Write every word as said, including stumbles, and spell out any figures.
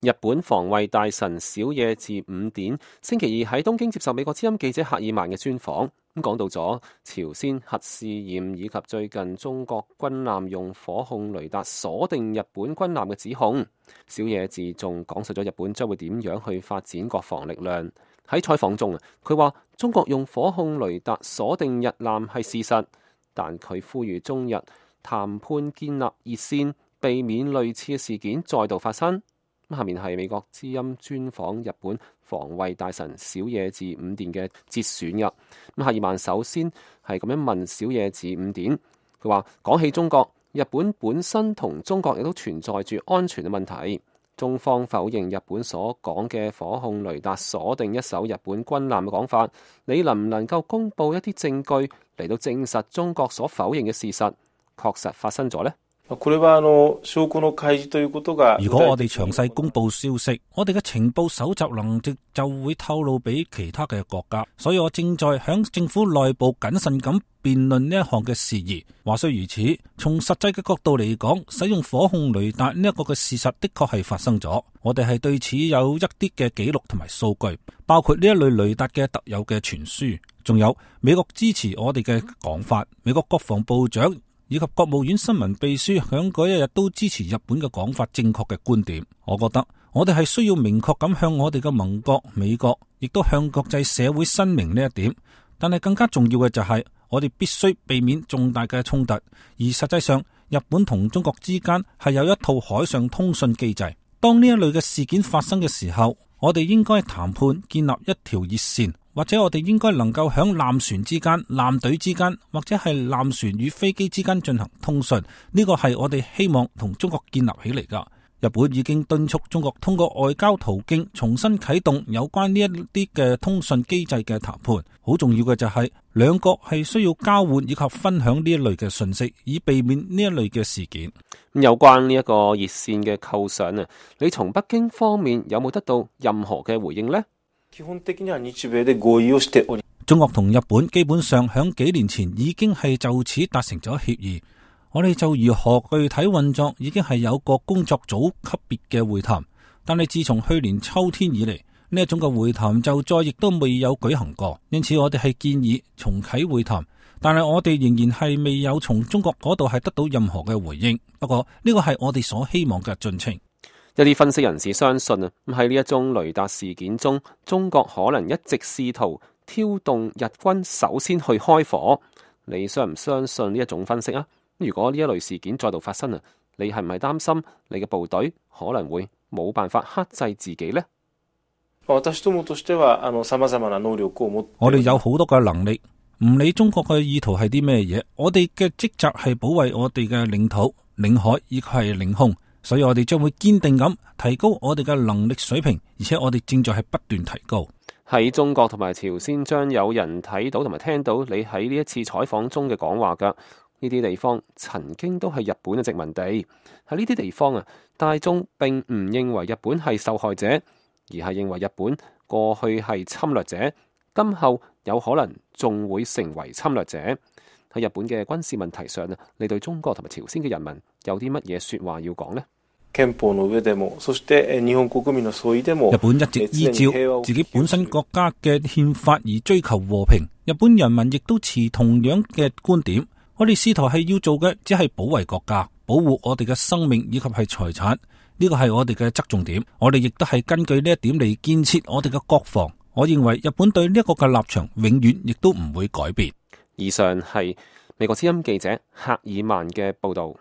日本防衛大臣小野寺五典星期二喺東京接受美國之音記者赫爾曼嘅專訪，咁講到咗朝鮮核試驗以及最近中國軍艦用火控雷達鎖定日本軍艦嘅指控。小野寺仲講述咗日本將會點樣去發展國防力量。喺採訪中啊，佢話中國用火控雷達鎖定日艦係事實，但佢呼籲中日談判建立熱線，避免類似嘅事件再度發生。下面係美國之音專訪日本防衛大臣小野寺五典嘅節選嘅。咁赫爾曼首先係咁樣問小野寺五典，佢話講起中國，日本本身同中國亦都存在住安全嘅問題。中方否認日本所講嘅火控雷達鎖定一艘日本軍艦嘅講法，你能唔能夠公布一啲證據嚟到證實中國所否認嘅事實確實發生咗呢？如果我哋詳細公布消息，我哋嘅情報搜集能力就會透露俾其他嘅國家，所以我正在響政府內部謹慎咁辯論呢一項嘅事宜。話雖如此，從實際嘅角度嚟講，使用火控雷達呢一個嘅事實的確係發生咗。我哋係對此有一啲嘅記錄同埋數據，包括呢一類雷達嘅特有嘅傳輸，仲有美國支持我哋嘅講法，美國國防部長以及國務院新聞秘書響嗰一日都支持日本嘅講法正確嘅觀點。我覺得我哋係需要明確咁向我哋嘅盟國美國，亦都向國際社會申明呢一點。但係更加重要嘅就係我哋必須避免重大嘅衝突。而實際上，日本同中國之間係有一套海上通訊機制。當呢一類嘅事件發生嘅時候，我哋應該談判建立一條熱線。或者我哋應該能夠響艦船之間、艦隊之間，或者係艦船與飛機之間進行通訊。呢個係我哋希望同中國建立起嚟噶。日本已經敦促中國通過外交途徑重新啟動有關呢一啲嘅通訊機制嘅談判。好重要嘅就係兩國係需要交換以及分享呢一類嘅信息，以避免呢一類嘅事件。有關呢一個熱線嘅構想啊，你從北京方面有冇得到任何嘅回應呢？中國同日本基本上響幾年前已經係就此達成咗協議，我哋就如何具體運作已經係有個工作組級別嘅會談，但係自從去年秋天以嚟，呢一種嘅會談就再亦都未有舉行過，因此我哋係建議重啟會談，但係我哋仍然係未有從中國嗰度係得到任何嘅回應。不過呢個係我哋所希望嘅進程。一啲分析人士相信啊，喺呢一宗雷達事件中，中國可能一直試圖挑動日軍首先去開火。你相唔相信呢一種分析啊？如果呢一類事件再度發生啊，你係唔係擔心你嘅部隊可能會冇辦法克制自己呢？我哋有好多嘅能力，唔理中國嘅意圖係啲咩嘢，我哋嘅職責係保衛我哋嘅領土、領海以及係領空。所以我哋將會堅定咁提高我哋嘅能力水平，而且我哋正在係不斷提高。喺中國同埋朝鮮將有人睇到同埋聽到你喺呢一次採訪中嘅講話噶。呢啲地方曾經都係日本嘅殖民地。喺呢啲地方啊，大眾並唔認為日本係受害者，而係認為日本過去係侵略者，今後有可能仲會成為侵略者。喺日本嘅軍事問題上啊，你對中國同埋朝鮮嘅人民有啲乜嘢說話要講呢？日本一直依照自己本身國家嘅憲法而追求和平，日本人民亦都持同樣嘅觀點。我哋試圖係要做嘅，只係保衛國家，保護我哋嘅生命以及係財產。呢個係我哋嘅側重點。我哋亦都係根據呢一點嚟建設我哋嘅國防。我認為日本對呢一個嘅立場永遠亦都唔會改變。以上係美國之音記者赫爾曼嘅報道。